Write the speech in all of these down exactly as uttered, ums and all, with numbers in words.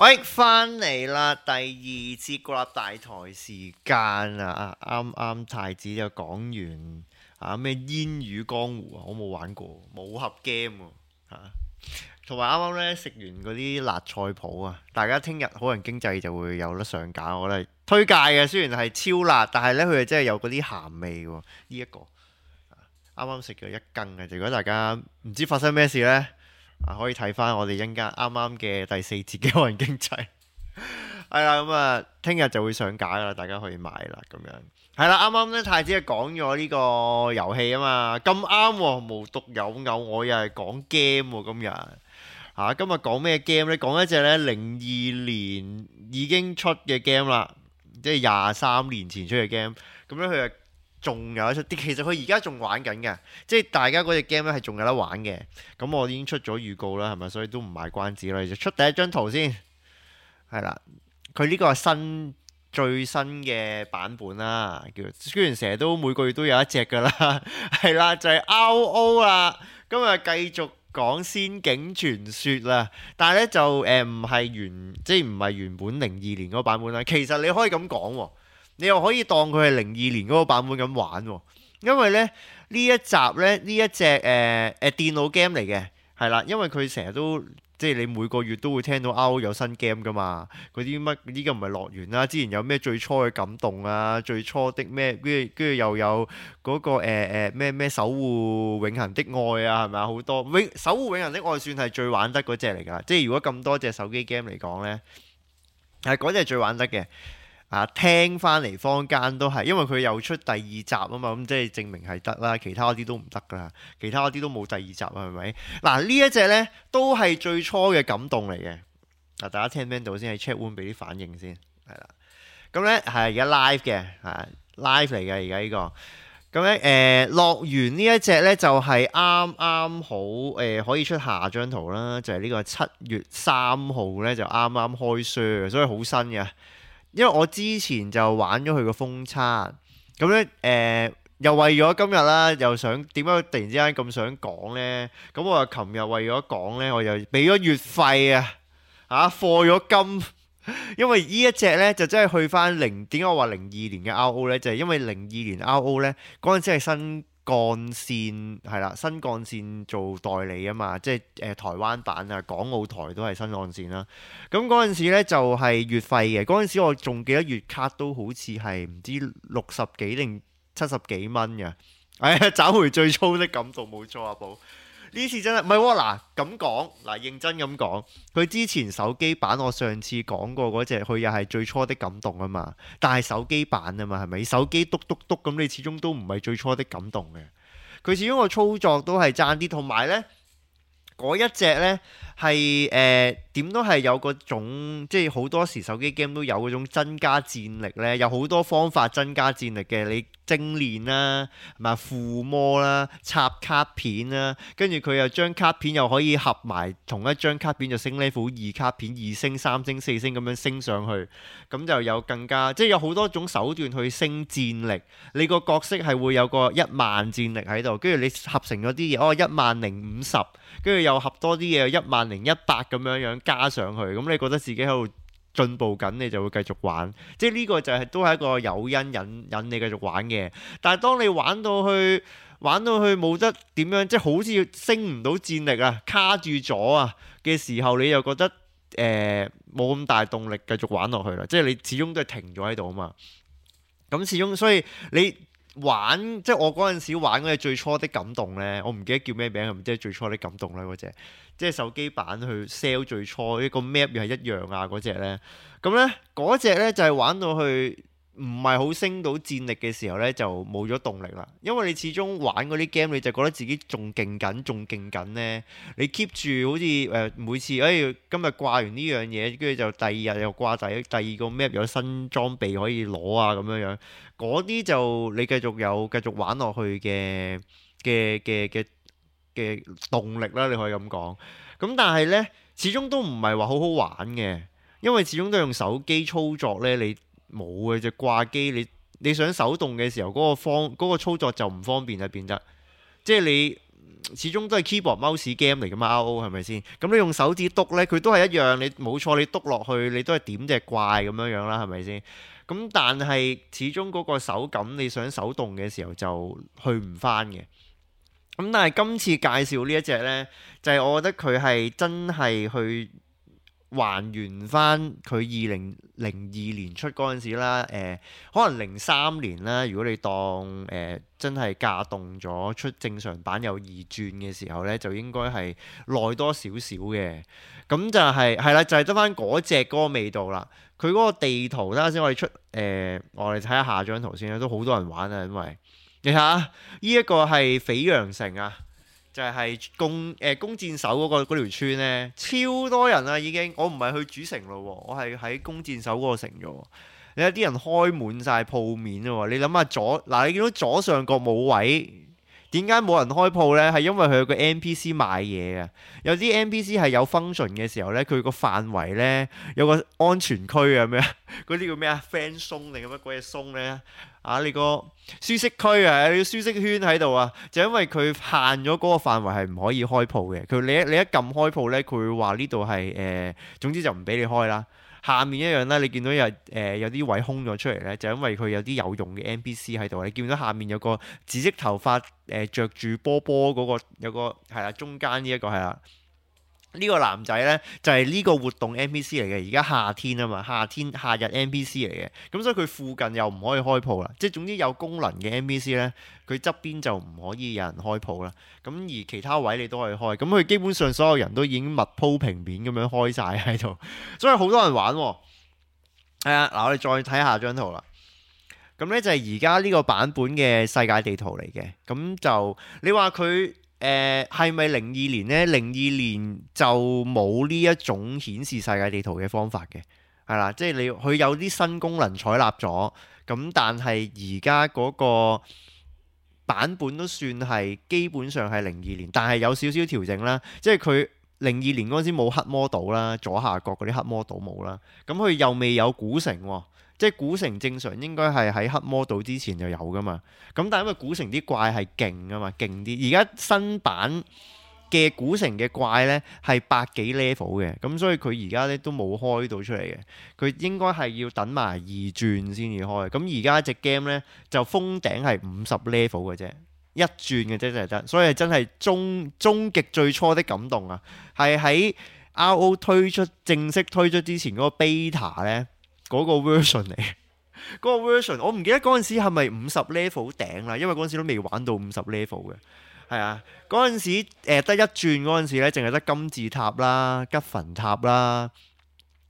喂，翻嚟啦！第二次國立大台時間啊，啱啱太子就講完啊咩煙雨江湖啊，我冇玩過，武俠 game 喎嚇，同埋啱啱咧食完嗰啲辣菜譜啊，大家聽日好人經濟就會有得上架，我覺得係推介嘅。雖然係超辣，但係咧佢係真係有嗰啲鹹味喎。呢、一個啱啱食咗一羹嘅，如果大家唔知發生咩事呢，啊可以睇翻我哋一陣間啱啱嘅第四節嘅好人經濟。係啦，咁啊，聽日就會上架啦，大家可以買啦，咁樣係啦。啱啱咧太子係講咗呢個遊戲啊嘛，咁啱喎，無獨有偶，我又係講 game 喎，今日嚇，今日講咩 game 咧？講一隻咧零二年已經出嘅 game 啦，即係廿三年前出嘅 game。咁咧佢係仲有得出，其實佢而家仲玩緊嘅，即係大家嗰隻 game 咧係仲有得玩嘅。咁我已經出咗預告啦，係咪？所以都唔賣關子啦，就出第一張圖先。係啦，佢呢個係新最新嘅版本啦，叫雖然成日都每個月都有一隻噶啦，係啦，就係 R O 啦。今日繼續講仙境傳說啦，但係咧就誒唔係原即係唔係原本零二年嗰個版本啦。其實你可以咁講喎，你又可以當佢係零二年嗰個版本咁玩喎，因為咧呢一集咧呢一隻誒誒電腦 game 嚟嘅，係啦，因為佢成日都。即係你每個月都會聽到 R O 有新 game 噶嘛，嗰啲乜呢個唔係樂園啦，之前有咩最初嘅感動啊，最初的咩，跟住跟住又有嗰、嗰個誒誒咩咩守護永恆的愛啊，係咪啊？好多永守護永恆的愛算係最玩得嗰隻嚟㗎，即係如果咁多隻手機 game 嚟講呢，係嗰隻係最玩得嘅。啊，聽翻嚟坊間都係，因為佢又出第二集啊嘛，咁即係證明係得啦。其他嗰啲都唔得噶啦，其他嗰啲都冇第二集啊，係咪？嗱呢一隻呢都係最初嘅感動嚟嘅。嗱，大家聽唔聽到先？喺 chat room 俾啲反應先，係啦。咁呢係而家 live 嘅，係 live 嚟嘅而家呢個。咁咧誒，樂園呢一隻呢就係啱啱好誒、呃、可以出下張圖啦，就係、是、呢個七月三號呢，就啱啱開 share，所以好新嘅。因為我之前就玩咗佢個封測，咁咧誒又為咗今日啦，又想點解突然之間咁想講呢？咁我又琴日為咗講呢，我又俾咗月費啊，嚇課咗金，因為呢一隻呢，就真係去翻零，點解我話零二年嘅 R O 呢？就係、是、因為零二年 R O 呢，嗰陣時係新幹線係啦，新幹線做代理啊嘛，即係誒、呃、台灣版啊，港澳台都係新幹線啦。咁嗰陣時咧就係、是、月費嘅，嗰陣時我仲記得月卡都好似係唔知六十幾定七十幾蚊嘅。哎呀，找回最初的感動，冇錯啊，寶。呢次真係唔係喎，嗱咁講，嗱認真咁講，佢之前手機版我上次講過嗰隻，佢又係最初的感動啊嘛，但係手機版啊嘛，係咪？手機篤篤篤咁，你始終都唔係最初的感動嘅，佢始終個操作都係爭啲，同埋呢。嗰一隻呢係誒點都係有嗰種，即係好多時手機 game 都有嗰種增加戰力呢，有好多方法增加戰力嘅，你精練啦，係咪附魔啦，插卡片啦，跟住佢又將卡片又可以合埋同一張卡片就升 level 二卡片二星三星四星咁樣升上去，咁就有更加即係有好多種手段去升戰力。你個角色係會有個一萬戰力喺度，跟住你合成咗啲嘢，哦一萬零五十，跟住又合多啲嘢，一萬零一百咁樣樣加上去，咁你覺得自己喺度進步緊，你就會繼續玩。即係呢個就係、是、都係一個誘因引引你繼續玩嘅。但係當你玩到去玩到去冇得點樣，即係好似升唔到戰力啊，卡住咗啊嘅時候，你又覺得誒冇咁大動力繼續玩落去啦。即係你始終都係停咗喺度啊嘛。咁始終所以你。玩即係我嗰陣時玩嗰隻最初的感動呢，我唔記得叫咩名，係咪即係最初的感動呢？嗰隻即係手機版去 sell 最初一個 map 又係一樣啊嗰隻呢。咁呢嗰隻呢就係玩到去唔係好升到戰力嘅時候呢，就冇咗動力啦。因為你始終玩嗰啲 game 你就覺得自己仲勁緊仲勁緊呢。你 keep 住好似誒、呃、每次誒、哎、今日掛完呢樣嘢，跟住就第二日又掛第第二個 map 有新裝備可以攞啊咁樣樣。嗰啲就你繼續有繼續玩落去嘅嘅嘅嘅嘅動力啦，你可以咁講。咁但係呢，始終都唔係話好好玩嘅，因為始終都用手機操作呢，你冇嘅就掛機，你你想手動嘅時候嗰個方嗰個操作就唔方便啊，變得即係你始終都係 keyboard mouse game 嚟㗎嘛 R O 係咪先？咁你用手指篤呢，佢都係一樣，你冇錯，你篤落去你都係點隻怪咁樣樣啦，係咪先？咁但係始終嗰個手感，你想手動嘅時候就去唔返嘅。咁但係今次介紹呢一隻呢，就係、是、我覺得佢係真係去還原翻佢二零零二年出嗰陣時啦，誒、呃、可能零三年啦，如果你當誒、呃、真係架動咗出正常版有二轉嘅時候呢，就應該係耐多少少嘅。咁就係係啦，就係得翻嗰隻嗰個味道啦。佢嗰個地圖，等下先我哋出誒、呃，我哋睇下下張圖先啦，都好多人玩啊，因為你睇下呢一個係斐陽城啊。就係弓誒弓箭手嗰、嗰個嗰條村咧，超多人啊已經。我唔係去主城咯，我係喺弓箭手嗰個城啫。你睇啲人開滿晒鋪面喎。你諗下左嗱，你見到左上角冇位，點解冇人開鋪呢？係因為佢有個 N P C 賣嘢啊。有啲 N P C 係有 function 嘅時候呢，佢個範圍呢，有個安全區啊咩？嗰啲叫咩啊 friend zone 定乜鬼嘢 zone 呢？啊！你個舒適區啊，你個舒適圈喺度啊，就因為佢限咗嗰個範圍係唔可以開鋪嘅。佢你一你一撳開鋪呢，佢會話呢度係誒，總之就唔俾你開啦。下面一樣啦，你見到有誒、呃、有啲位空咗出嚟呢，就因為佢有啲有用嘅 N P C 喺度。你見到下面有個紫色頭髮誒著住波波嗰個，有個係啦，中間呢一個係啦。呢個男仔呢，就係、是、呢個活動 N P C 嚟嘅。而家夏天啊嘛，夏天夏日 N P C 嚟嘅，咁所以佢附近又唔可以開鋪啦。即係總之有功能嘅 N P C 呢，佢側邊就唔可以有人開鋪啦。咁而其他位你都可以開，咁佢基本上所有人都已經密鋪平面咁樣開晒喺度，所以好多人玩喎。係啊，嗱，我哋再睇下張圖啦。咁呢就係而家呢個版本嘅世界地圖嚟嘅。咁就你話佢。誒係咪零二年呢？零二年就冇呢一種顯示世界地圖嘅方法嘅，係啦，即係你佢有啲新功能採納咗，咁但係而家嗰個版本都算係基本上係零二年，但係有少少調整啦，即係佢零二年嗰陣時冇黑魔島啦，左下角嗰啲黑魔島冇啦，咁佢又未有古城喎。即係古城正常應該係喺黑魔島之前就有噶嘛，咁但係因為古城啲怪係勁啊嘛，勁啲。而家新版嘅古城嘅怪呢係百幾 level 嘅，咁所以佢而家呢都冇開到出嚟嘅，佢應該係要等埋二轉先至開。咁而家隻 game 呢就封頂係五十 level 嘅啫，一轉嘅啫就係得，所以真係終終極最初的感動啊！係喺 R O 推出正式推出之前嗰個 beta 呢。嗰個 version 嚟，嗰個 version 我唔記得嗰陣時係咪五十 level 頂啦，因為嗰陣時都未玩到五十 level 嘅，係啊，嗰陣時誒得一轉嗰陣時咧，淨係得金字塔啦、吉墳塔啦、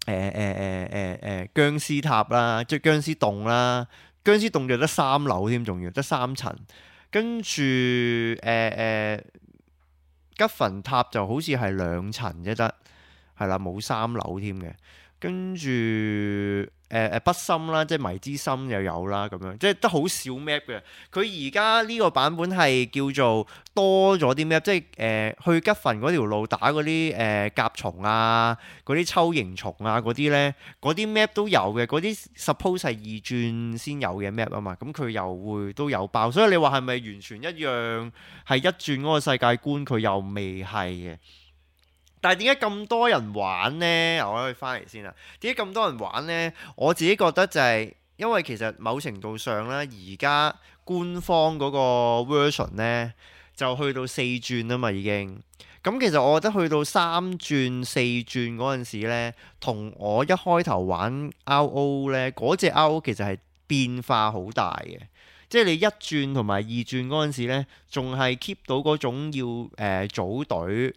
誒誒誒誒誒殭屍塔啦、即係殭屍洞啦，殭屍洞就得三樓添，仲要得三層，跟住誒誒吉墳塔就好似係兩層啫得，係啦，冇三樓添嘅。跟住誒誒北深啦，即係迷之深又有啦，咁樣即係得好少 map 嘅。佢而家呢個版本係叫做多咗啲 map，即係誒、呃、去吉墳嗰條路打嗰啲誒甲蟲啊、嗰啲鍬形蟲啊嗰啲咧，嗰啲 map 都有嘅。嗰啲 suppose 係二轉先有嘅 map 啊嘛，咁佢又會都有爆。所以你話係咪完全一樣係一轉嗰個世界觀？佢又未係嘅。但係點解咁多人玩呢？我可以翻嚟先啦。點解咁多人玩呢？我自己覺得就係因為其實某程度上咧，而家官方嗰個 version 呢，就去到四轉啊嘛已經。咁其實我覺得去到三轉四轉嗰陣時呢，同我一開頭玩 R O 呢，嗰隻 R O 其實係變化好大嘅。即係你一轉同埋二轉嗰陣時呢，仲係 keep 到嗰種要誒、呃、組隊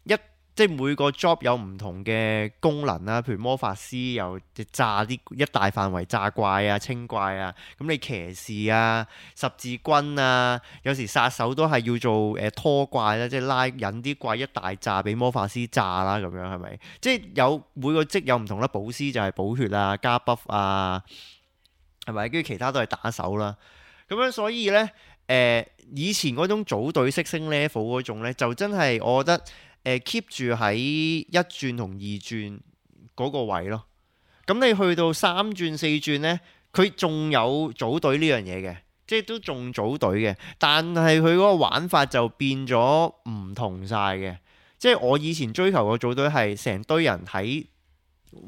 一。即係每個 job 有唔同嘅功能啦，譬如魔法師又炸啲一大範圍炸怪啊、清怪啊，咁你騎士啊、十字軍啊，有時殺手都係要做誒、呃、拖怪啦，即係拉引啲怪一大炸俾魔法師炸啦，咁樣係咪？即係有每個職有唔同啦，補師就係補血啊、加 buff 啊，係咪？跟住其他都係打手啦，咁樣所以呢，誒、呃、以前嗰種組隊式升 level 嗰種呢，就真係我覺得。誒 keep 住喺一轉同二轉嗰個位咯，咁你去到三轉四轉呢，佢仲有組隊呢樣嘢嘅，即係都仲組隊嘅，但係佢嗰個玩法就變咗唔同晒嘅。即係我以前追求個組隊係成堆人喺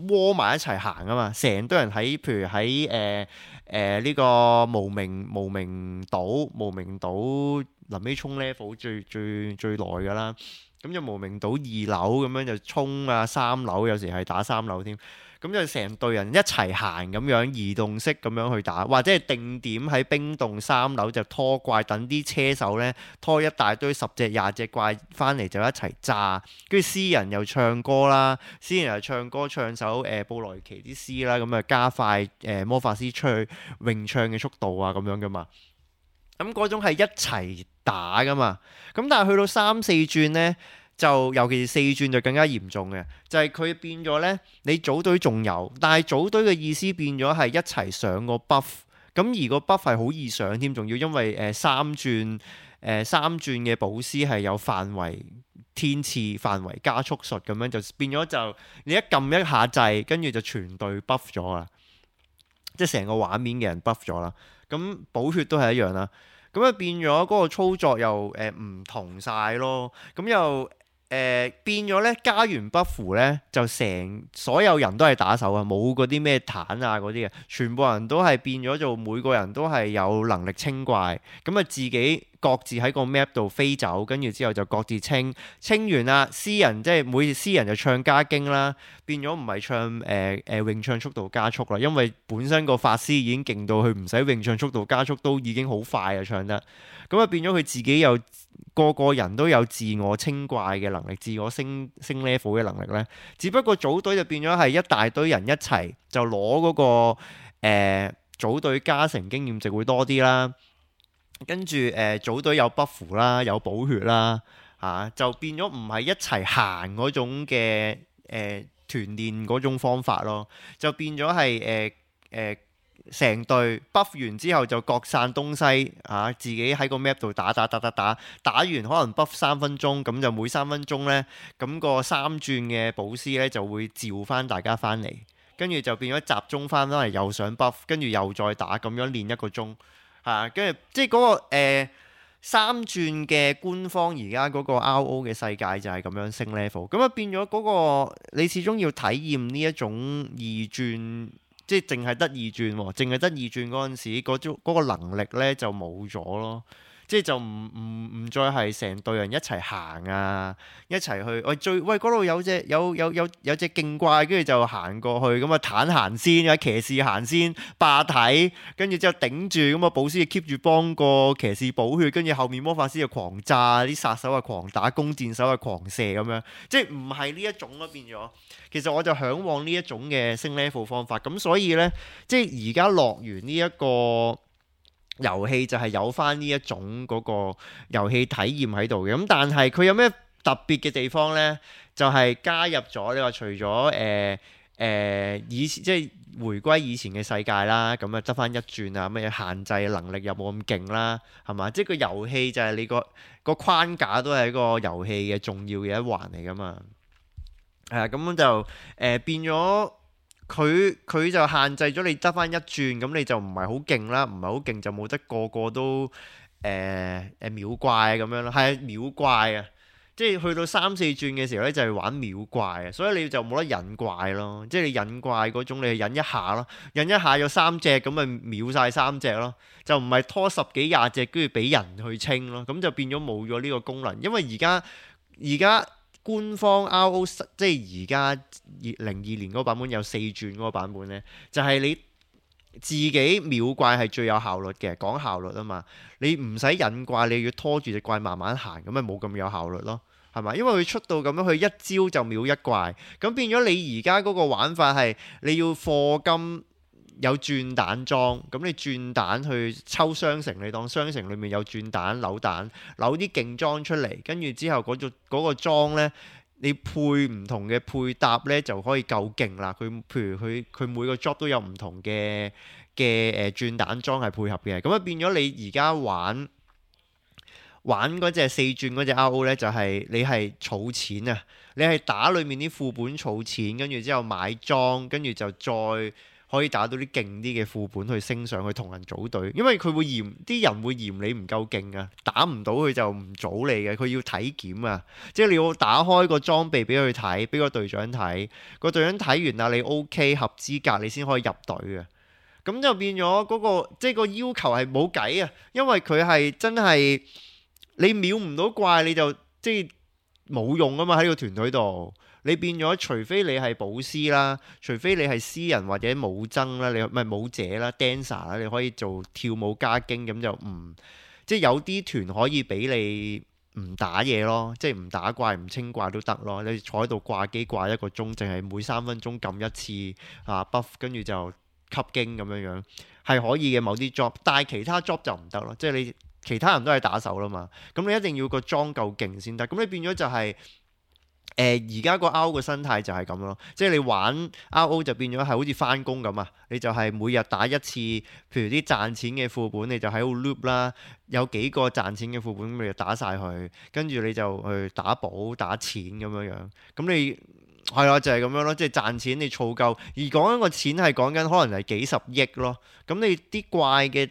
窩埋一齊行啊嘛，成堆人喺譬如喺誒誒呢個無名無名島無名島臨尾衝 level 最最最耐㗎啦。咁就無名島二樓咁樣就衝啊，三樓有時係打三樓添。咁就成隊人一齊行咁樣移動式咁樣去打，或者係定點喺冰洞三樓就拖怪，等啲車手呢拖一大堆十隻廿隻怪翻嚟就一齊炸，跟住詩人又唱歌啦，詩人又唱歌唱首誒、呃、布萊奇啲詩啦，咁啊加快誒、呃、魔法師出去詠唱嘅速度啊咁樣噶嘛。咁嗰種係一齊打噶嘛。咁但係去到三四轉呢，就尤其是四轉就更加嚴重嘅，就係、是、佢變咗呢，你組隊仲有，但係組隊嘅意思變咗係一齊上個 buff，咁而個 buff 係好易上添，仲要因為誒、呃、三轉誒、呃、三轉嘅寶師係有範圍天賜範圍加速術咁樣，就變咗就你一撳一下掣，跟住就全隊 buff 咗啦，即係成個畫面嘅人 buff 咗啦。咁寶血都係一樣啦，咁啊變咗嗰個操作又誒唔、呃、同晒咯，咁又。誒、呃、變咗咧，加完 buff 咧，就成所有人都係打手啊，冇嗰啲咩坦啊嗰啲嘅，全部人都係變咗做每個人都係有能力清怪，咁啊自己各自喺個 map 度飛走，跟住之後就各自清，清完啦，詩人即係每詩人就唱加經啦，變咗唔係唱誒誒詠唱速度加速啦，因為本身個法師已經勁到佢唔使詠唱速度加速都已經好快啊唱得，咁啊變咗佢自己有。個個人都有自我清怪嘅能力，自我升升 level 嘅能力呢，只不過組隊就變咗係一大堆人一齊就攞嗰、嗰個誒、呃、組隊加成經驗值會多啲啦。跟住誒、呃、組隊有 buff 啦，有補血啦，嚇、啊、就變咗唔係一齊行嗰種嘅誒、呃、團練嗰種方法咯，就變咗係誒誒。呃呃成隊 buff 完之後就各散東西嚇、啊，自己喺個 map 度打打打打打，打完可能 buff 三分鐘，咁就每三分鐘呢，咁個三轉嘅寶師呢就會召翻大家翻嚟，跟住就變咗集中翻翻嚟又上 buff，跟住又再打，咁樣練一個鐘嚇，跟、啊、住即係嗰、嗰個、呃、三轉嘅官方而家嗰個 R O 嘅世界就係咁樣升 level，咁啊變咗嗰、嗰個你始終要體驗呢一種二轉。即係淨係得二轉喎，淨係得二轉嗰陣時，嗰種嗰個能力咧就冇咗咯。即係就唔唔唔再係成隊人一齊行啊，一齊去喂最喂嗰度有隻有有有有隻勁怪，跟住就行過去咁啊，坦行先啊，騎士行先霸體，跟住之後頂住咁啊，寶師 keep 住幫個騎士補血，跟住後面魔法師就狂炸，啲殺手啊狂打，弓箭手啊狂射咁樣，即係唔係呢一種咯變咗。其實我就嚮往呢一種嘅升 level 方法，咁所以呢，即係而家樂園呢一個遊戲就係有翻呢一種嗰個遊戲體驗喺度嘅，咁但係佢有咩特別嘅地方呢？就係、是、加入咗你話除咗誒誒以前即係回歸以前嘅世界啦，咁啊得翻一轉啊，乜嘢限制能力又冇咁勁啦，係嘛？即係個遊戲就係你個個框架都係一個遊戲嘅重要嘅一環嚟噶嘛。係啊，咁樣就誒、呃、變咗。佢佢就限制咗你得翻一轉，咁你就唔係好勁啦，唔係好勁就冇得個個都誒誒、呃、秒怪咁樣咯，係秒怪啊！即係去到三四轉嘅時候咧，就係玩秒怪啊，所以你就冇得引怪咯，即係你引怪嗰種，你係引一下咯，引一下有三隻咁咪秒晒三隻咯，就唔係拖十幾廿隻跟住俾人去清咯，咁就變咗冇咗呢個功能，因為而家而家。官方 R O 即係而家二零二年嗰個版本有四轉嗰個版本呢，就係、是、你自己秒怪係最有效率嘅，講效率啊嘛，你唔使引怪，你要拖住隻怪慢慢行，咁咪冇咁有效率咯，係咪？因為佢出到咁樣，佢一招就秒一怪，咁變咗你而家嗰個玩法係你要課金。有轉蛋裝，咁你轉蛋去抽雙城，你當雙城裏面有轉蛋扭蛋，扭啲勁裝出嚟，跟住之後嗰、嗰個嗰個裝呢，你配唔同嘅配搭呢，就可以夠勁啦。佢譬如佢佢每個 job 都有唔同嘅嘅誒轉蛋裝係配合嘅，咁啊變咗你而家玩玩嗰隻四轉嗰隻 R O 呢，就係、是、你係儲錢啊，你係打裏面啲副本儲錢，跟住之後買裝，跟住就再。可以打到啲勁啲嘅副本去升上去同人組隊，因為佢會嫌啲人會嫌你唔夠勁啊，打唔到佢就唔組你嘅，佢要體檢啊，即係你要打開個裝備俾佢睇，俾個隊長睇，個隊長睇完啦，你 OK 合資格，你先可以入隊嘅。咁就變咗嗰個即係個要求係冇計啊，因為佢係真係你秒唔到怪你就即係冇用啊嘛，喺個團隊度。你變咗，除非你係寶師啦，除非你係詩人或者武僧啦，你唔係武者啦 dancer 啦，你可以做跳舞加經，咁就唔即係有啲團可以俾你唔打嘢咯，即係唔打怪唔清怪都得咯。你坐喺度掛機掛一個鐘，淨係每三分鐘撳一次啊 buff，跟住就吸經咁樣樣係可以嘅某啲 job，但係其他 job 就唔得咯。即係你其他人都係打手啦嘛，咁你一定要個裝夠勁先得。咁你變咗就係、是。誒而家個 R O 個生態就係咁咯，即係你玩 R O 就變咗係好似翻工咁啊！你就係每日打一次，譬如啲賺錢嘅副本，你就喺度 loop 啦，有幾個賺錢嘅副本，你就打晒佢，跟住你就去打寶打錢咁樣樣。咁你係啦，就係、是、咁樣咯，即係賺錢你儲夠，而講緊個錢係講緊可能係幾十億咯。咁你啲怪嘅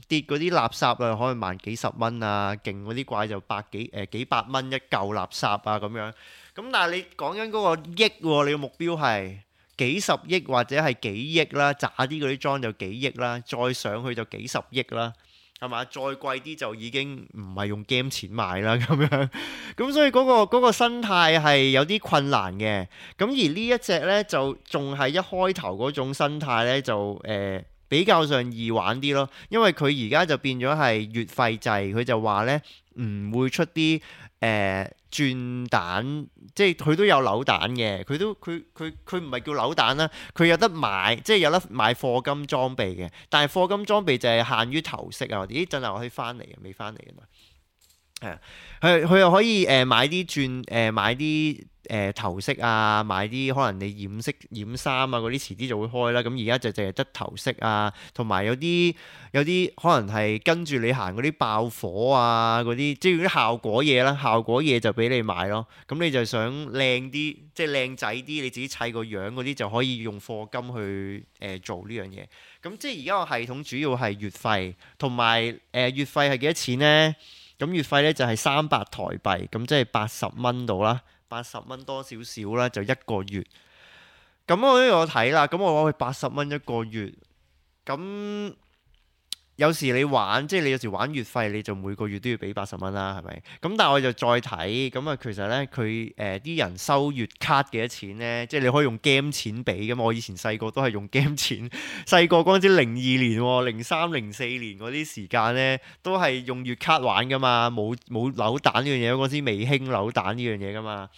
跌嗰啲垃圾啊，可能萬幾十蚊啊，勁嗰啲怪就百幾誒、呃、幾百蚊一嚿垃圾啊咁樣。咁但係你講緊嗰個億喎，你個目標係幾十億或者係幾億啦，渣啲嗰啲裝就幾億啦，再上去就幾十億啦，係嘛？再貴啲就已經唔係用 game 錢買啦咁樣。咁所以嗰個嗰個生態係有啲困難嘅。咁而呢一隻呢，就仲係一開頭嗰種生態呢，就誒、呃、比較上易玩啲咯，因為佢而家就變咗係月費制，佢就話呢唔會出啲。誒、呃、轉蛋，即係佢都有扭蛋嘅，佢都佢佢佢唔係叫扭蛋啦，佢有得買，即係有得買課金裝備嘅，但係課金裝備就係限於頭飾啊，咦陣間我可以翻嚟嘅，未翻嚟嘅嘛，係啊，佢佢又可以誒、呃、買啲轉誒、呃、買啲。誒、呃、頭飾啊，買啲可能你染色染衫啊嗰啲，遲啲就會開啦。咁而家就淨係得頭飾啊，同埋有啲有啲可能係跟住你行嗰啲爆火啊嗰啲，即係啲效果嘢啦。效果嘢就俾你買咯。咁你就想靚啲，即係靚仔啲，你自己砌個樣嗰啲就可以用課金去誒、呃、做呢樣嘢。咁即係而家個系統主要係月費，同埋誒月費係幾多錢呢？咁月費咧就係三百台幣，咁即係八十蚊到啦。八十蚊多少少啦，就一個月。咁我都有睇啦，咁我話佢八十蚊一個月。咁有時你玩，即係你有時玩月費，你就每個月都要俾八十蚊啦，係咪？咁但係我就再睇，咁啊其實呢，佢誒啲人收月卡幾多錢呢？即係你可以用 game 錢俾㗎嘛。我以前細個都係用 game 錢，細個嗰陣時零二年喎，零三零四年嗰啲時間呢，都係用月卡玩㗎嘛，冇冇扭蛋呢樣嘢，嗰陣時未興扭蛋呢樣嘢㗎嘛。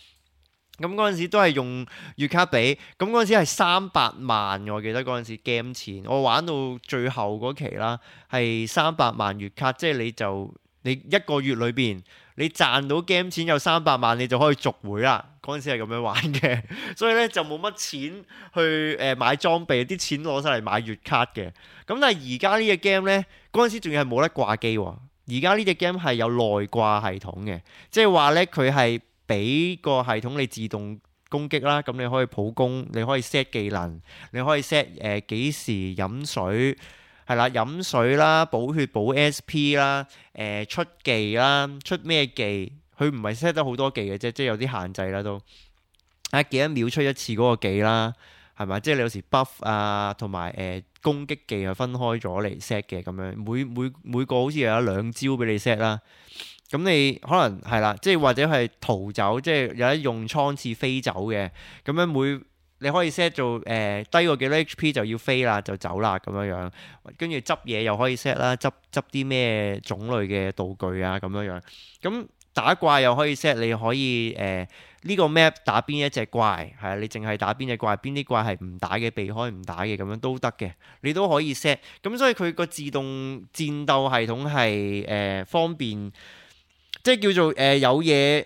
咁嗰陣時都係用月卡俾，咁嗰陣時係三百萬，我記得嗰陣時 game 錢，我玩到最後嗰期啦，係三百萬月卡，即係你就你一個月裏邊你賺到 game 錢有三百萬，你就可以續會啦。嗰陣時係咁樣玩嘅，所以咧就冇乜錢去誒買裝備，啲錢攞晒嚟買月卡嘅。咁但係而家呢隻 game 咧，嗰陣時仲要係冇得掛機喎，而家呢隻 game 係有內掛系統嘅，即係話咧佢係。俾個系統你自動攻擊啦，咁你可以普攻，你可以 set 技能，你可以 set 誒幾時飲水，係啦，飲水啦，補血補 S P 啦，誒出技啦，出咩技？佢唔係 set 得好多技嘅啫，即係有啲限制啦都。啊幾多秒出一次嗰個技啦，係咪？即係你有時 buff 啊，同埋誒攻擊技係分開咗嚟 set 嘅咁樣，每每每個好似有兩招俾你 set 啦。咁你可能係啦，即係或者係逃走，即係有得用倉次飛走嘅。咁樣每你可以 set 做誒、呃、低過幾多 H P 就要飛啦，就走啦咁樣樣。跟住執嘢又可以 set 啦，執執啲咩種類嘅道具啊咁樣樣。咁打怪又可以 set，你可以誒呢、呃呢個 map 打邊一隻怪，係啊，你淨係打邊隻怪，邊啲怪係唔打嘅，避開唔打嘅咁樣都得嘅，你都可以 set。咁所以佢個自動戰鬥系統係誒、呃、方便。即係叫做誒、呃、有嘢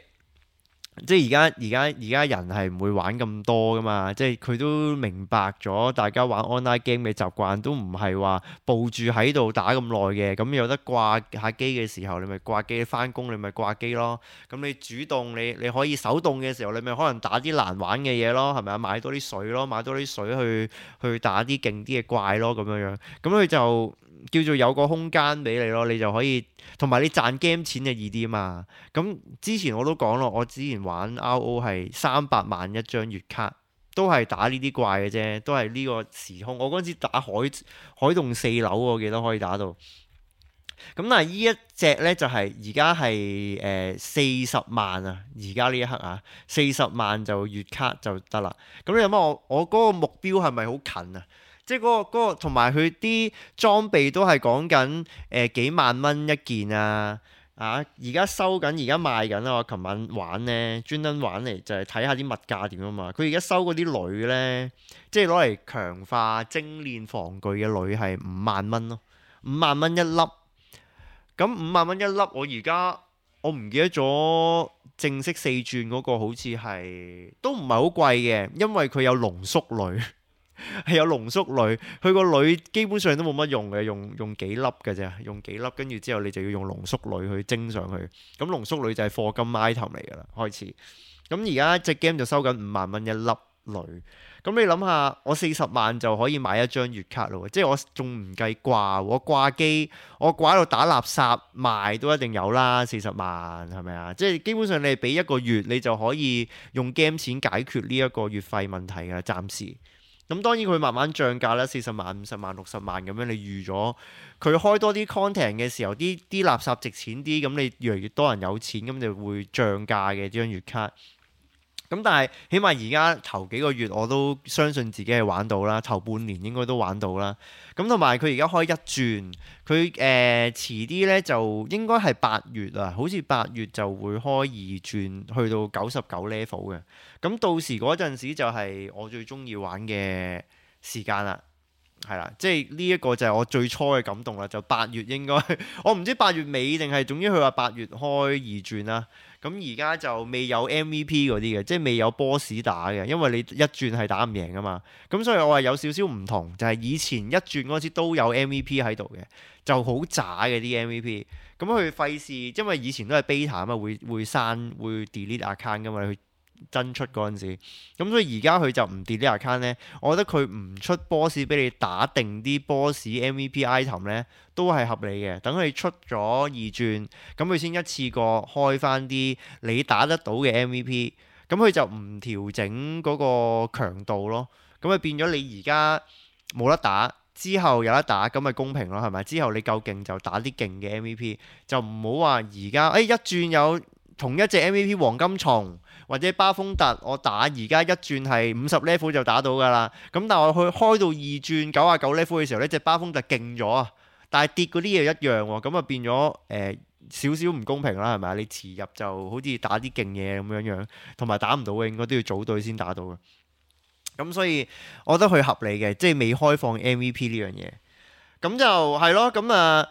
即係而家而家而家人係唔會玩咁多噶嘛，即係佢都明白咗大家玩 online game 嘅習慣，都唔係話抱住喺度打咁耐嘅。咁有得掛下機嘅時候，你咪掛機；翻工你咪掛機咯。咁你主動你你可以手動嘅時候，你咪可能打啲難玩嘅嘢咯，係咪啊？買多啲水咯，買多啲水去去打啲勁啲嘅怪咯，咁樣樣。咁佢就叫做有個空間俾你咯，你就可以同埋你賺 game 錢就易啲啊嘛。咁之前我都講咯，我之前玩 R O 係三百萬一張月卡，都係打呢啲怪嘅啫，都係呢個時空。我嗰陣時打海海洞四樓，我記得可以打到。咁但係呢一隻呢，就係而家係誒四十萬啊，而家呢一刻啊，四十萬就月卡就得啦。咁你諗下我我嗰個目標係咪好近啊？即係嗰個嗰個同埋佢啲裝備都係講緊誒幾萬蚊一件啊！啊，而家收緊，而家賣緊啊！我琴晚玩呢，專登玩嚟就係睇下啲物價點啊嘛。佢而家收嗰啲鋁呢，即係攞嚟強化精煉防具嘅鋁係五萬蚊咯，五萬蚊一粒。咁五萬蚊一粒，我而家我唔記得咗正式四轉嗰個好似係都唔係好貴嘅，因為佢有濃縮鋁。係有濃縮鋁，佢個鋁基本上都冇乜用嘅，用用幾粒嘅啫，用幾粒，跟住之後你就要用濃縮鋁去蒸上去。咁濃縮鋁就係課金 item 嚟㗎啦，開始。咁而家隻 game 就收緊五萬蚊一粒鋁。咁你諗下，我四十萬就可以買一張月卡咯，即係我仲唔計掛，我掛機，我掛喺度打垃圾賣都一定有啦，四十萬係咪啊？即係基本上你俾一個月，你就可以用 game 錢解決呢一個月費問題㗎，暫時。咁當然佢慢慢漲價啦，四十萬、五十萬、六十萬咁樣，你預咗佢開多啲 content 嘅時候，啲啲垃圾值錢啲，咁你越嚟越多人有錢，咁就會漲價嘅呢張月卡。咁但係起碼而家頭幾個月我都相信自己係玩到啦，頭半年應該都玩到啦。咁同埋佢而家開一轉，佢誒、呃、遲啲呢就應該係八月啊，好似八月就會開二轉，去到九十九 level 嘅。咁到時嗰陣時就係我最中意玩嘅時間啦，係啦，即係呢一個就係我最初嘅感動啦。就八月應該，我唔知八月尾定係總之佢話八月開二轉啦。咁而家就未有 M V P 嗰啲嘅，即係未有 boss 打嘅，因為你一轉係打唔贏噶嘛。咁所以我係有少少唔同，就係以前一轉嗰時都有 M V P 喺度嘅，就好渣嘅啲 M V P。咁佢費事，因為以前都係 beta 啊嘛，會會刪會 delete account 噶嘛，佢真出嗰陣時。咁所以而家佢就唔 delete account 咧，我覺得佢唔出 boss 俾你打定啲 boss M V P item 咧，都係合理嘅。等佢出咗二轉，咁佢先一次過開翻啲你打得到嘅 M V P，咁佢就唔調整嗰個強度咯。咁咪變咗你而家冇得打，之後有得打，咁咪公平咯，係咪？之後你夠勁就打啲勁嘅 M V P，就唔好話而家誒一轉有同一隻 M V P 黃金蟲或者巴風特，我打而家一轉係五十 level 就打到㗎啦。咁但係我去開到二轉九啊九 level 嘅時候呢，隻巴風特勁咗啊！但係跌嗰啲嘢一樣喎，咁啊變咗誒少少唔公平啦，係咪啊？你遲入就好似打啲勁嘢咁樣樣，同埋打唔到嘅應該都要組隊先打到嘅。咁所以我覺得佢合理嘅，即係未開放 M V P 呢樣嘢。咁就係咯，咁啊。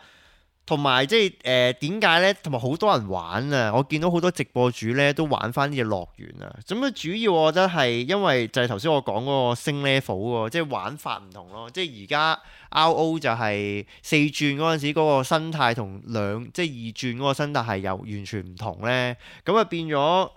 同埋即係誒點解呢？同埋好多人玩啊！我見到好多直播主呢都玩翻呢隻樂園啊！咁啊，主要我覺得係因為就係頭先我講嗰個升 level 喎，即係玩法唔同咯。即係而家 R O 就係四轉嗰陣時嗰個生態同兩即係二轉嗰個生態係有完全唔同呢。咁啊變咗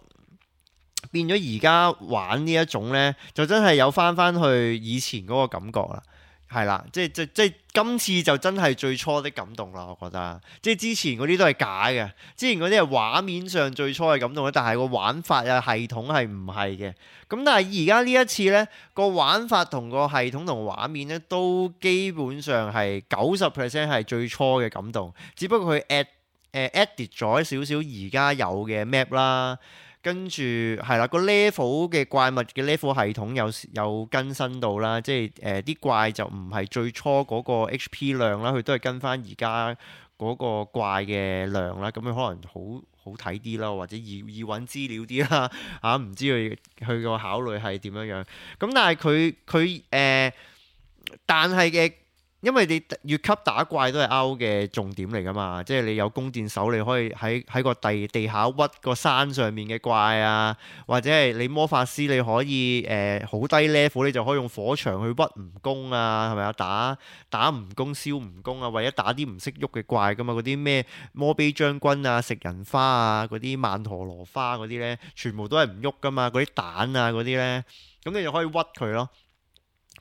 變咗而家玩呢一種呢，就真係有翻翻去以前嗰個感覺啦。係啦，即係即即今次就真係最初的感動啦，我覺得。即係之前嗰啲都係假嘅，之前嗰啲係畫面上最初嘅感動，但係個玩法啊系統係唔係嘅。咁但係而家呢一次呢，個玩法同個系統同畫面呢，都基本上係九十 percent 係最初嘅感動，只不過佢 add 誒 edit 咗少少而家有嘅 map 啦。跟住係啦，個 level 嘅怪物嘅 level 系統有有更新到啦，即係誒啲怪就唔係最初嗰個 H P 量啦，佢都係跟翻而家嗰個怪嘅量啦，咁佢可能好好睇啲啦，或者易易揾資料啲啦嚇，唔知佢佢個考慮係點樣樣。咁但係佢佢誒，但係嘅因為你越級打怪都係 R O 嘅重點嚟㗎嘛，即係你有弓箭手，你可以喺喺個地地下屈個山上面嘅怪啊，或者係你魔法師你可以誒好、呃、低 level 你就可以用火牆去屈蜈蚣啊，係咪啊？打打蜈蚣燒蜈蚣啊，或者打啲唔識喐嘅怪㗎嘛，嗰啲咩摩比將軍啊、食人花啊、嗰啲曼陀羅花嗰啲咧，全部都係唔喐㗎嘛，嗰啲蛋啊嗰啲咧，咁你就可以屈佢咯。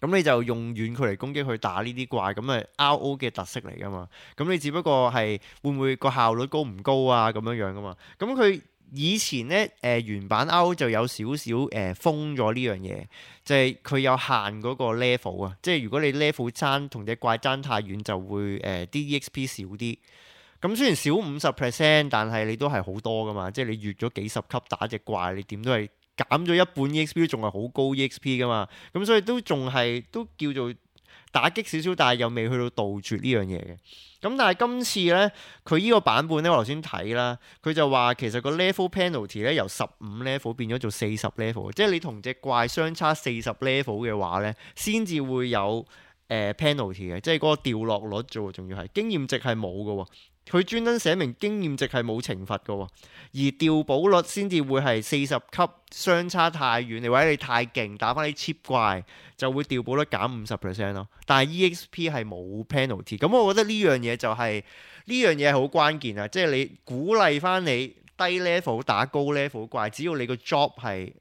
咁你就用遠距離攻擊去打呢啲怪，咁咪 R O 嘅特色嚟噶嘛？咁你只不過係會唔會個效率高唔高啊？咁樣樣噶嘛？咁佢以前咧誒、呃、原版 R O 就有少少誒封咗呢樣嘢，就係、是、佢有限嗰個 level 啊，即係如果你 level 爭同隻怪爭太遠，就會誒啲、呃、E X P 少啲。咁雖然少五十 percent，但係你都係好多噶嘛，即係你越咗幾十級打隻怪，你點都係。減咗一半 E X P 仲係好高 E X P 噶嘛，咁所以都仲係都叫做打擊少少，但係又未去到杜絕呢樣嘢嘅。咁但係今次呢，佢呢個版本呢，我頭先睇啦，佢就話其實個 level penalty 咧由十五 level 變咗做四十 level，即係你同隻怪相差四十 level 嘅話呢，先至會有誒、呃、penalty 嘅，即係嗰個掉落率啫喎，仲要係經驗值係冇嘅喎。佢專登寫明經驗值係冇懲罰嘅喎，而掉寶率先至會係四十級相差太遠，你或者你太勁打翻啲 cheap 怪就會掉寶率減五十 percent 咯。但係 E X P 係冇 penalty，咁我覺得呢樣嘢就係呢樣嘢係好關鍵啊！即係你鼓勵翻你低 level 打高 level 怪，只要你個 job 係屈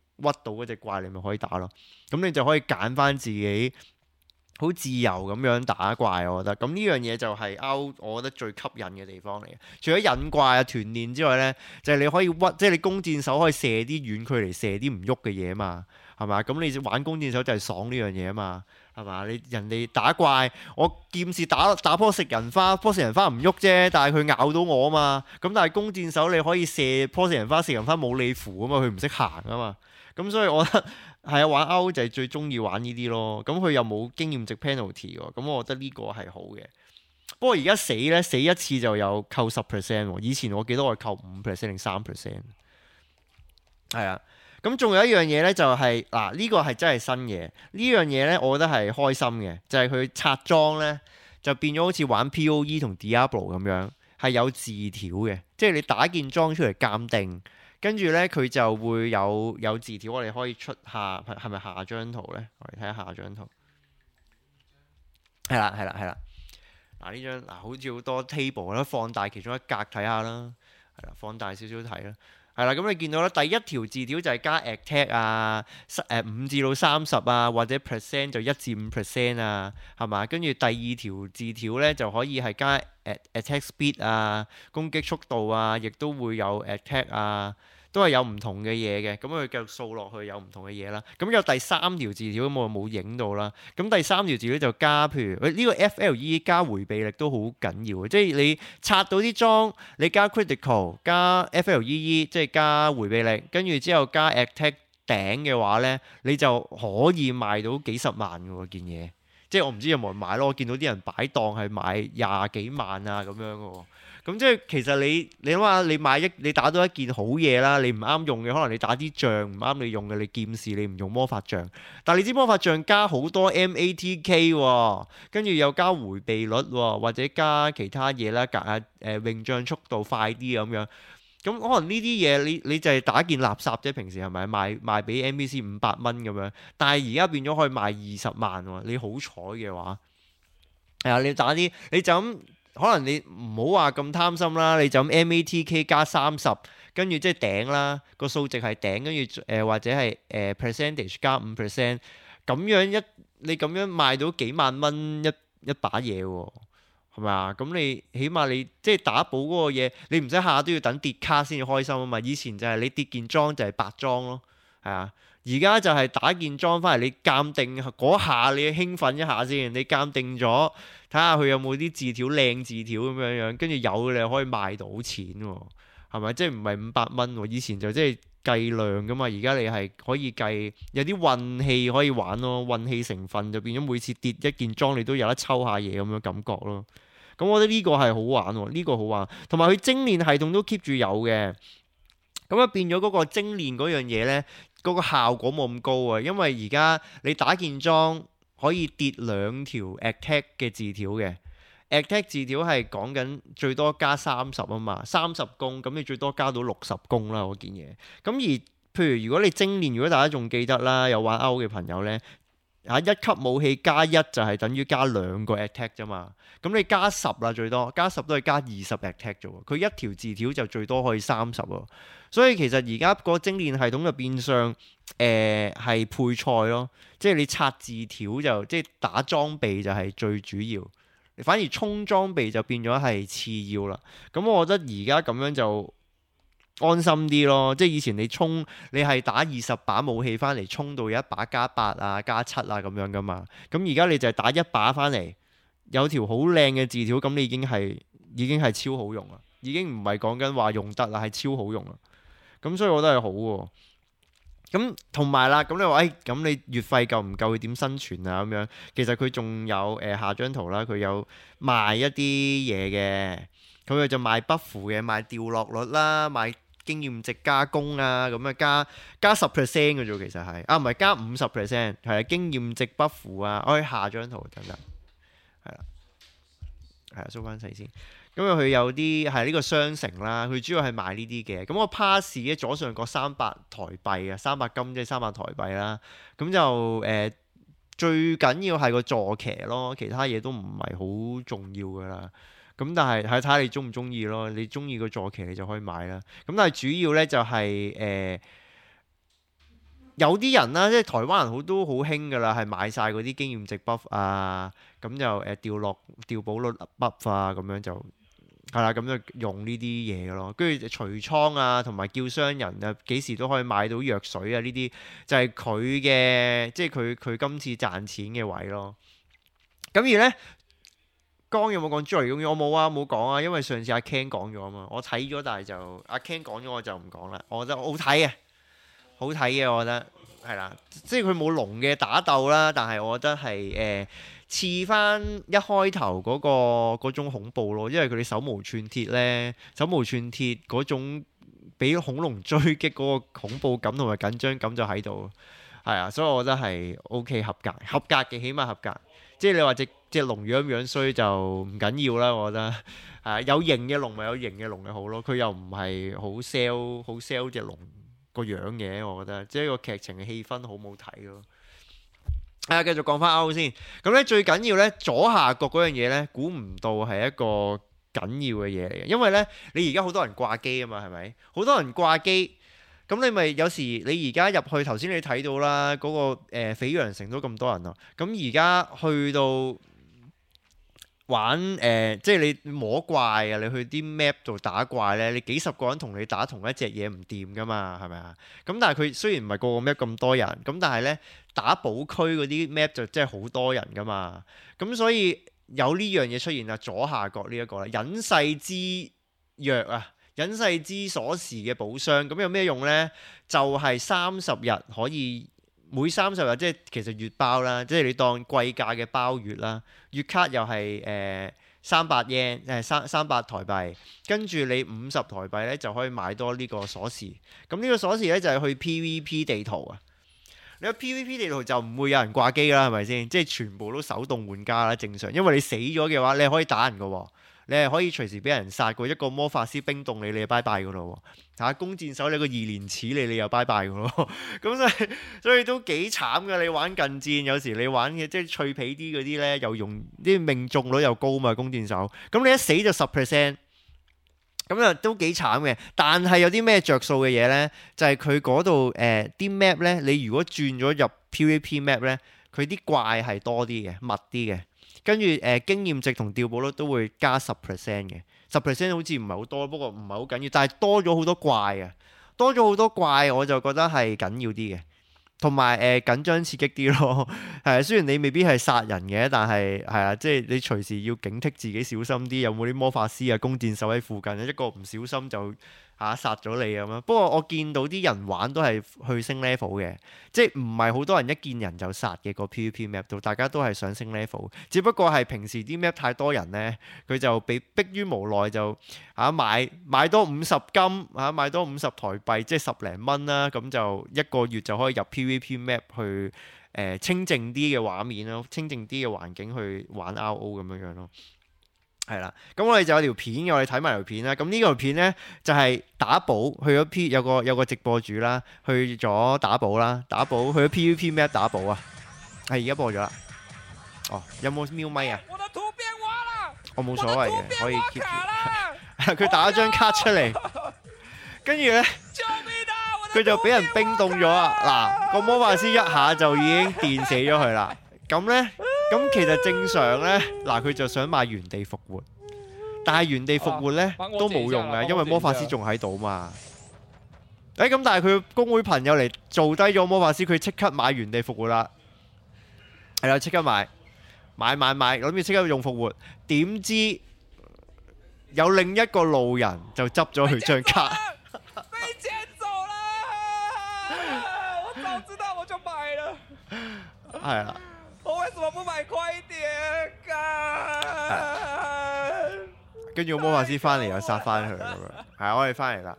到嗰隻怪，你咪可以打咯。咁你就可以揀翻自己。好自由咁樣打怪，我覺得咁呢樣嘢就係 R O 我覺得最吸引嘅地方嚟嘅。除咗引怪啊、團練之外呢，就係、是、你可以屈，即係你弓箭手可以射啲遠距離射啲唔喐嘅嘢嘛，係嘛？咁你玩弓箭手就係爽呢樣嘢啊嘛，係嘛？你人哋打怪，我劍士打打棵食人花，棵食人花唔喐啫，但係佢咬到我啊嘛。咁但係弓箭手你可以射棵食人花，食人花冇你符啊嘛，佢唔識行啊嘛。咁所以我覺得。係啊，玩 R O 就係最中意玩呢啲咯。咁佢又冇經驗值 penalty 喎，咁我覺得呢個係好嘅。不過而家死咧，死一次就有扣十 percent 喎。以前我記得我係扣五 percent 定三 percent。係啊，咁仲有一樣嘢咧，就係嗱呢個係真係新嘢。呢樣嘢咧，我覺得係開心嘅，就係佢拆裝咧就變咗好似玩 P O E 同 Diablo 咁樣，係有字條嘅，即係你打件裝出嚟鑑定。跟住咧，佢就會有有字條，我哋可以出下係咪下張圖咧？我哋睇下下張圖。係啦，係啦，係啦。嗱呢張嗱好似好多 table 啦，放大其中一格睇下啦。係啦，放大少少睇啦。係啦，咁你見到啦，第一條字條就係加 attack 啊，誒五至到三十啊，或者 percent 就一至五 percent 啊，係嘛？跟住第二條字條咧就可以係加 attack speed 啊，攻擊速度啊，亦都會有 attack 啊。都係有唔同嘅嘢嘅，咁佢繼續掃落去有唔同嘅嘢啦。咁有第三條字條咁我冇影到啦。咁第三條字條就加，譬如呢個 F L E 加迴避力都好緊要嘅，即係你拆到啲裝，你加 critical 加 F L E E 即係加迴避力，跟住之後加 attack 頂嘅話呢，你就可以賣到幾十萬嘅喎件嘢。即係我唔知有冇人買咯，我見到啲人擺檔係買廿幾萬啊咁樣嘅喎。咁即係其實你你諗下，你買一你打到一件好嘢啦，你唔啱用嘅，可能你打啲杖唔啱你用嘅，你劍士你唔用魔法杖，但係你知魔法杖加好多 M A T K 喎，跟住又加迴避率喎，或者加其他嘢啦，格下誒泳杖速度快啲咁樣，咁可能呢啲嘢你你就係打件垃圾啫，平時係咪賣賣俾 N P C 五百蚊咁樣，但係而家變咗可以賣二十萬喎，你好彩嘅話，係啊，你打啲你就咁。可能你唔好話咁貪心啦，你就咁 M A T K 加三十，跟住即係頂啦，個數值係頂，跟住誒或者係誒、呃、percentage 加五 percent，咁樣一你咁樣賣到幾萬蚊一一把嘢喎，係咪啊？咁你起碼你即係打寶嗰個嘢，你唔使下下都要等跌卡先至開心啊嘛。以前就係你跌件裝就係白裝咯，係啊。而家就係打件裝翻嚟，你鑑定嗰下你興奮一下先，你鑑定咗睇下佢有冇啲字條靚字條咁樣樣，跟住有你可以賣到錢喎，係咪？即係唔係五百蚊喎？以前就即係計量噶嘛，而家你係可以計有啲運氣可以玩咯，運氣成分就變咗每次跌一件裝你都有得抽下嘢咁樣感覺咯。咁我覺得呢個係好玩喎，呢個好玩，同埋佢精煉系統都 keep 住有嘅，咁啊變咗嗰個精煉嗰樣嘢呢。嗰個效果冇咁高啊，因為而家你打件裝，可以跌兩條 attack 嘅字條嘅。attack 字條係講緊最多加三十啊嘛，三十攻，咁你最多加到六十攻啦嗰件嘢。咁而譬如如果你精練，如果大家仲記得啦，有玩歐嘅朋友呢，啊一級武器加一就係等於加兩個 attack 啫嘛。咁你加十啦最多，加十都係加二十 attack 啫喎。佢一條字條就最多可以三十喎。所以其實而家個精練系統就變相誒係配菜咯，即係你刷字條就即係打裝備就係最主要。反而衝裝備就變咗係次要啦，咁我覺得而家咁樣就安心啲咯。即係以前你衝你係打二十把武器翻嚟，衝到有一把加八啊加七啊咁樣噶嘛。咁而家你就係打一把翻嚟，有條好靚嘅字條，咁你已經係已經係超好用啦，已經唔係講緊話用得啦，係超好用啦。咁所以我覺得係好喎。咁同埋啦，咁你話誒，咁、哎、你月費夠唔夠？佢點生存啊？咁樣其實佢仲有誒、呃、下張圖啦，佢有賣一啲嘢嘅，佢就賣 buff 嘅，賣掉落率啦，賣經驗值加工啊，咁啊加加十 percent 嘅啫，其實係啊，唔係加五十 percent， 係啊，經驗值 buff 啊，我、哎、下張圖等等，係啦，係啊，收翻細先。咁啊，佢有啲係呢個商城啦，佢主要係賣呢啲嘅。咁個 pass 嘅左上角三百台幣啊，三百金即係三百台幣啦。咁就誒、呃、最緊要係個坐騎咯，其他嘢都唔係好重要噶啦。咁但係睇睇下你中唔中意咯，你中意個坐騎你就可以買啦。咁但係主要咧就係、是、誒、呃、有啲人啦，即係台灣人好都好興噶啦，係買晒嗰啲經驗值 buff 啊，咁就誒掉落掉寶率 buff 啊，咁樣就。係啦，咁就用呢啲嘢咯，跟住除倉啊，同埋叫商人啊，幾時都可以買到藥水啊，呢啲就係佢嘅，即係佢佢今次賺錢嘅位咯。咁而呢，剛有冇講侏羅紀公園？我冇啊，冇講啊，因為上次阿 Ken 講咗啊嘛，我睇咗，但係就阿 Ken 講咗我就唔講啦。我覺得好睇嘅，好睇嘅，我覺得係啦，即係佢冇龍嘅打鬥啦，但係我覺得係誒。呃似翻一開頭嗰、嗰個嗰種恐怖咯，因為佢哋手無寸鐵呢，手無寸鐵嗰種俾恐龍追擊嗰個恐怖感同埋緊張感就喺度，係啊，所以我覺得係 OK 合格，合格嘅起碼合格。即係你話隻隻龍樣樣衰就唔緊要啦，我覺得係啊，有型嘅龍咪有型嘅龍嘅好咯，佢又唔係好 sell 好 sell 隻龍個樣嘅，我覺得即係個劇情嘅氣氛好冇睇咯。啊，繼續講翻歐先，咁咧最緊要咧左下角嗰樣嘢咧，估唔到係一個緊要嘅嘢嚟嘅，因為咧你而家好多人掛機啊嘛，係咪？好多人掛機，咁你咪有時你而家入去頭先你睇到啦，嗰、那個誒、呃、翡陽城都咁多人啊，咁而家去到玩誒、呃，即係你摸怪啊，你去啲 map 度打怪咧，你幾十個人同你打同一隻嘢唔掂噶嘛，係咪啊？咁但係佢雖然唔係個個 map 咁多人，咁但係咧。打寶區嗰啲 map 就真係好多人噶嘛，咁所以有呢樣嘢出現啊，左下角呢一個啦，隱世之鑰啊，隱世之鎖匙嘅寶箱，咁有咩用呢？就係三十日可以每三十日，即係其實月包啦，即係你當貴價嘅包月啦，月卡又係誒三百 yen 誒三三百台幣，跟住你五十台幣咧就可以買多呢個鎖匙，咁呢個鎖匙咧就係去 PVP 地圖啊。你個 PVP 地圖就唔會有人掛機啦，係咪先？即係全部都手動換家啦，正常。因為你死咗嘅話，你係可以打人嘅喎，你係可以隨時俾人殺過。一個魔法師冰凍你，你就拜拜嘅咯喎。嚇，弓箭手你個二連刺你，你又拜拜嘅咯。咁所以所以都幾慘嘅。你玩近戰有時你玩嘅即係脆皮啲嗰啲咧，又用啲命中率又高嘛，弓箭手。咁你一死就十 percent。咁啊都幾慘嘅，但係有啲咩着數嘅嘢呢？就係佢嗰度誒啲 map 呢，你如果轉咗入 PVP map 呢，佢啲怪係多啲嘅，密啲嘅，跟住誒經驗值同掉寶率都會加十 percent 嘅，十 percent 好似唔係好多，不過唔係好緊要，但係多咗好多怪啊，多咗好多怪，我就覺得係緊要啲嘅。同埋誒緊張刺激啲咯，係啊，雖然你未必係殺人嘅，但係係啊，即係你隨時要警惕自己小心啲，有冇啲魔法師啊、弓箭手喺附近，一個唔小心就嚇殺咗你咁樣。不過我見到啲人玩都係去升 level 嘅，即係唔係好多人一見人就殺嘅個 PVP map 度，大家都係想升 level，只不過係平時啲 map 太多人呢，佢就被逼於無奈就嚇買買多五十金嚇，買多五十台幣，即係十零蚊啦，咁就一個月就可以入 PVP map 去呃、清靜啲嘅畫面咯，清靜啲嘅環境去玩 R O 咁樣樣咯。係啦，咁我哋就有條片嘅，我哋睇埋條片啦。咁呢條片呢，就係、是、打寶去咗 P 有個有個直播主啦，去咗打寶啦，打寶去咗 PVP map 打寶啊。係而家播咗啦。哦，有冇瞄咪啊？我的圖變挖啦！我冇所謂嘅，可以 keep 住。佢打咗張卡出嚟，跟住呢，佢就俾人冰凍咗啊！嗱，個魔法師一下就已經電死咗佢啦。咁呢。咁其實正常呢，嗱佢就想買原地復活，但係原地復活呢、啊、都冇用嘅，因為魔法師仲喺度嘛。誒咁，但係佢公會朋友嚟做低咗魔法師，佢即刻買原地復活啦。係啦，即刻買買買買，諗住即刻用復活，點知有另一個路人就執咗佢張卡。被撿走啦！我早知道我就買了。係啦。我為什麼不買快點㗎？跟住個魔法師翻嚟又殺翻佢咁樣，係啊，我哋翻嚟啦。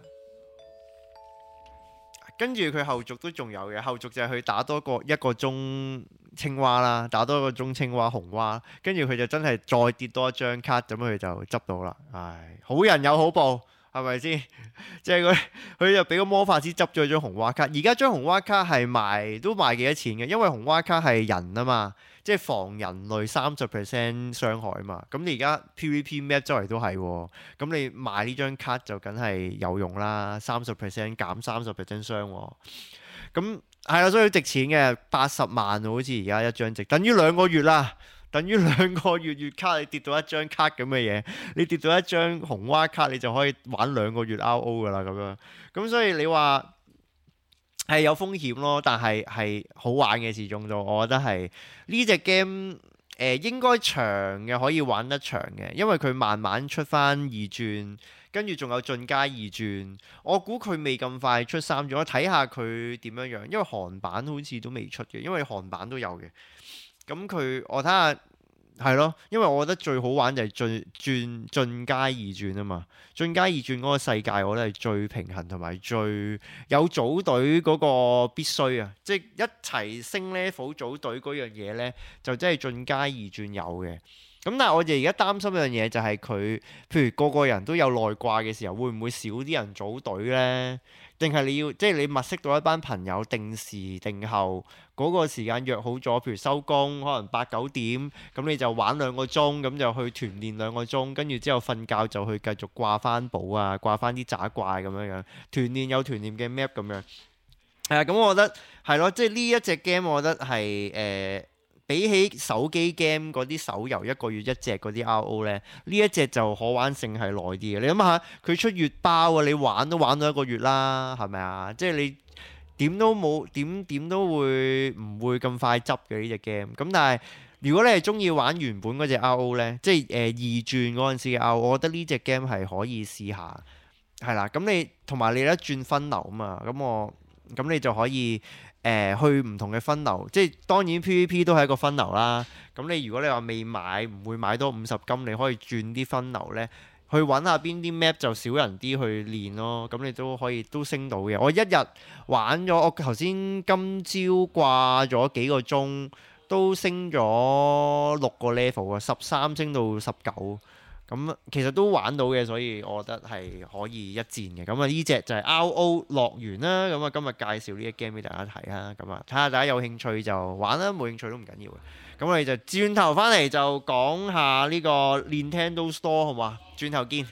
跟住佢後續都仲有嘅，後續就係去打多個一個鐘青蛙啦，打多一個鐘青蛙紅蛙，跟住佢就真係再跌多一張卡，咁佢就執到啦。唉，好人有好報。係咪先？即係佢佢就俾個魔法師執咗張紅蛙卡。而家張紅蛙卡係賣都賣幾多錢嘅？因為紅蛙卡係人啊嘛，即係防人類三十 percent 傷害啊嘛。咁你而家 PVP map 周圍都係喎，咁你賣呢張卡就梗係有用啦，三十 percent 減三十 percent 傷喎。咁係啦，所以好值錢嘅，八十萬好似而家一張值，等於兩個月啦。等於兩個月月卡，你跌到一張卡咁嘅嘢，你跌到一張紅蛙卡，你就可以玩兩個月 R O 噶啦咁樣。咁所以你話係有風險咯，但係係好玩嘅始終都，我覺得係呢隻 game 誒應該長嘅，可以玩得長嘅，因為佢慢慢出翻二轉，跟住仲有進階二轉。我估佢未咁快出三轉，我睇下佢點樣樣，因為韓版好似都未出嘅，因為韓版都有嘅。咁佢我睇下係咯，因為我覺得最好玩就係進轉進階二轉啊嘛，進階二轉嗰個世界我覺得係最平衡同埋最有組隊嗰個必須啊，即係一齊升 level 組隊嗰樣嘢呢，就真係進階二轉有嘅。咁但係我哋而家擔心一樣嘢就係佢，譬如個個人都有內掛嘅時候，會唔會少啲人組隊呢？定係你要即係你物色到一班朋友，定時定候嗰個時間約好咗，譬如收工可能八九點，咁你就玩兩個鐘，咁就去團練兩個鐘，跟住之後瞓覺就去繼續掛翻寶啊，掛翻啲渣怪咁樣樣，團練有團練嘅 map 咁樣。係啊，咁我覺得係咯，即係呢一隻 game 我覺得係誒。呃比起手機 game 嗰啲手遊一個月一隻嗰啲 R O 呢，呢一隻就可玩性係耐啲嘅。你諗下，佢出月包啊，你玩都玩到一個月啦，係咪啊？即係你點都冇點點都會唔會咁快執嘅呢隻 game？咁但係如果你係中意玩原本嗰隻 R O 呢，即係誒二轉嗰陣時嘅 R O，我覺得呢隻 game 係可以試下，係啦。咁你同埋你一轉分流啊嘛，咁我咁你就可以。誒、呃、去唔同嘅分流，即係當然 PVP 都係一個分流啦。咁你如果你話未買，唔會買多五十金，你可以轉啲分流呢，去揾下邊啲 map 就少人啲去練咯。咁你都可以都升到嘅。我一日玩咗，我頭先今朝掛咗幾個鐘，都升咗六個 level 啊，十三升到十九。咁其實都玩到嘅，所以我覺得係可以一戰嘅。咁啊，呢隻就係 R O 樂園啦。咁啊，今日介紹呢隻 game 俾大家睇啦。咁啊，睇下大家有興趣就玩啦，冇興趣都唔緊要嘅。咁我哋就轉頭翻嚟就講下呢個 Nintendo Store 好嘛？轉頭見。